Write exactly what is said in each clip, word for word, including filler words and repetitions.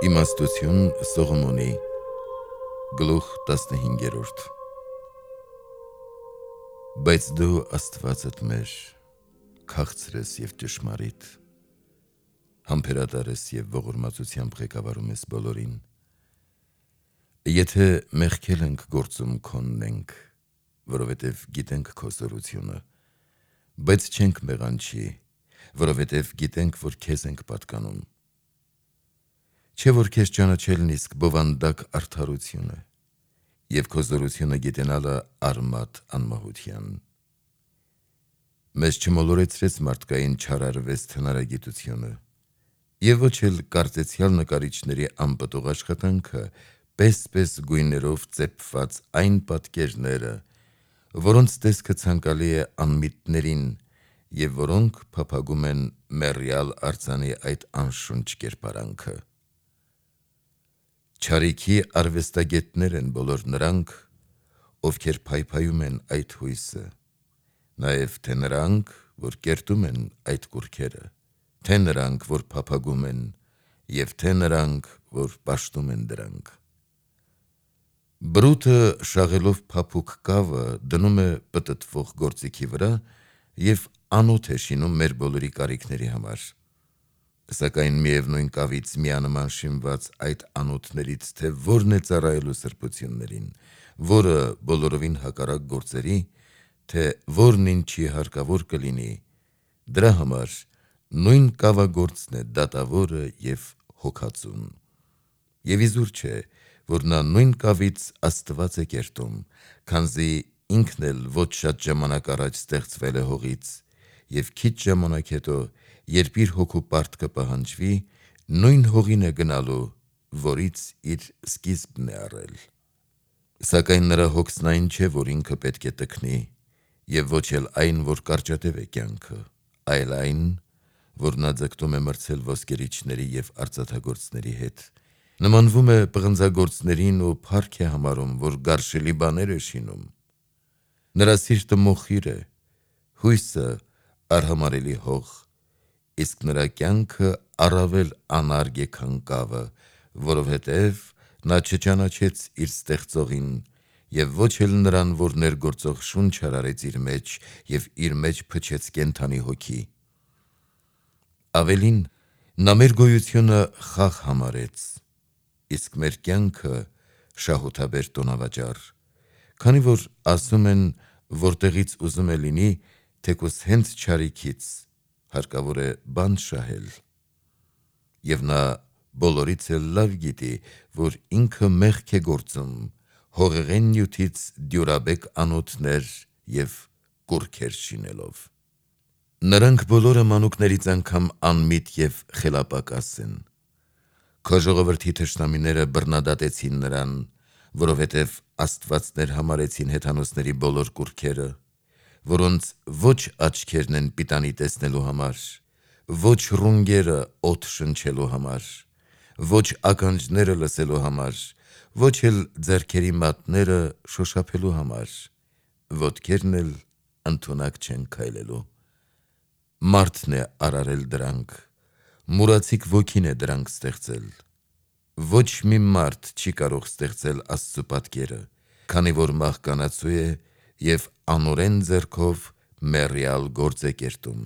Իմաստություն Սողոմոնի գլուխ տասնհինգերորդ Բայց դու Աստվածդ մեր քաղցր ես և ճշմարիտ, համբերատար ես և ողորմածությամբ ղեկավարում ես բոլորին։ Եթե մեղքել ենք գործում քոնն ենք, որովհետև գիտենք քո զորությունը, բայց չենք մեղանչի, որովհետև գիտենք, որ քեզ ենք պատկանում։ Չէ՞ որ քեզ ճանաչելն իսկ բովանդակ արդարություն է, և քո զորությունը գիտենալը արմատ անմահության։ Մեզ չմոլորեցրեց մարդկային չարարվես թնարագիտությունը, և ոչ էլ կարծեցյալ նկարիչների անպտուղ աշխատանքը, պես-պես գույներով ծեփված այն պատկերները, որոնց տեսքը ցանկալի է անմիտներին և որոնք փափագում են մեռյալ արձանի այդ անշունչ կերպարանքը։ Չարիքի արվեստագետներ են բոլոր նրանք, ովքեր փայփայում են այդ հույսը, նաև թե նրանք, որ կերտում են այդ կուռքերը, թե նրանք, որ փափագում են, և թե նրանք, որ պաշտում են դրանք։ Բրուտը շաղելով փափուկ կավը դնում է պտտվող գործիքի վրա և անոթ է շինում մեր բոլորի կարիքների համար։ Սակայն միևնույն կավից միանման շինված այդ անոթներից թե որն է ծառայելու սրբություններին, որը բոլորովին հակառակ գործերի, թե որն ինչի հարկավոր կլինի, դրա համար նույն կավագործն է դատավորը և հոգածուն։ Եվ իզուր չէ, որ նա նույն կավից Աստված է կերտում, քանզի ինքն էլ ոչ շատ ժամանակ առաջ ստեղծվել է հողից, և քիչ ժամանակ հետո, երբ իր հոգու պարտքը պահանջվի, նույն հողին է գնալու, որից իր սկիզբն է առել։ Սակայն նրա հոգսն այն չէ, որ ինքը պետք է տքնի, և ոչ էլ այն, որ կարճատև է կյանքը, այլ այն, որ նա ձգտում է մրցել ոսկերիչների և արծաթագործների հետ, նմանվում է պղնձագործներին ու փառք է համարում, որ գարշելի բաներ է շինում։ Նրա սիրտը մոխիր է, հույսը արհամարհելի հող, իսկ նրա կյանքը առավել անարգ է, քան կավը, որովհետև նա չճանաչեց իր ստեղծողին և ոչ էլ նրան, որ ներգործող շունչ արարեց իր մեջ և իր մեջ փչեց կենդանի հոգի։ Ավելին, նա մեր գոյությունը խաղ համարեց, իսկ մեր կյանքը շահութաբեր տոնավաճառ, քանի որ ասում են, որտեղից ուզում է լինի, թեկուզ հենց չարիքից, հարկավոր է բանտ շահել։ Եվ նա բոլորից էլ լավ գիտի, որ ինքը մեղք է գործում, հողեղեն նյութից դյուրաբեկ անոթներ և կուռքեր շինելով։ Նրանք բոլորը մանուկներից անգամ անմիտ և խելապակաս են։ Քո ժողովրդի թշնամիները բռնադատեցին նրան, որովհետև աստվածներ համարեցին հեթանոսների բոլոր կուռքերը, որոնց ոչ աչքերն են պիտանի տեսնելու համար, ոչ ռունգերը օդ շնչելու համար, ոչ ականջները լսելու համար, ոչ էլ ձեռքերի մատները շոշափելու համար, ոտքերն էլ ընդունակ չեն քայլելու։ Մարդն է արարել դրանք, մուրացիկ ոգին է դրանք ստեղծել։ Ոչ մի մարդ չի կարող ստեղծել Աստծու պատկերը, քանի որ մահկանացու է և անօրեն ձեռքով մեռյալ գործ է կերտում։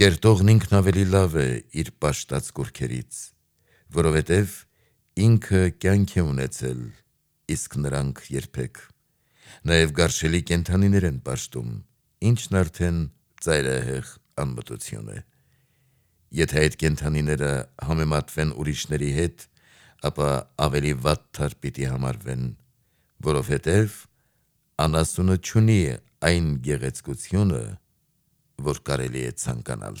Կերտողն ինքն ավելի լավ է իր պաշտած կուռքերից, որովհետև ինքը կյանք է ունեցել, իսկ նրանք երբեք։ Նաև գարշելի կենդանիներ են պաշտում, ինչն արդեն ծայրահեղ անմտություն է։ Եթե այդ կենդանիները համեմատվեն ուրիշների հետ, ապա ավելի վատթար պիտի համարվեն, որովհետև անասունը չունի այն գեղեցկությունը, որ կարելի է ցանկանալ։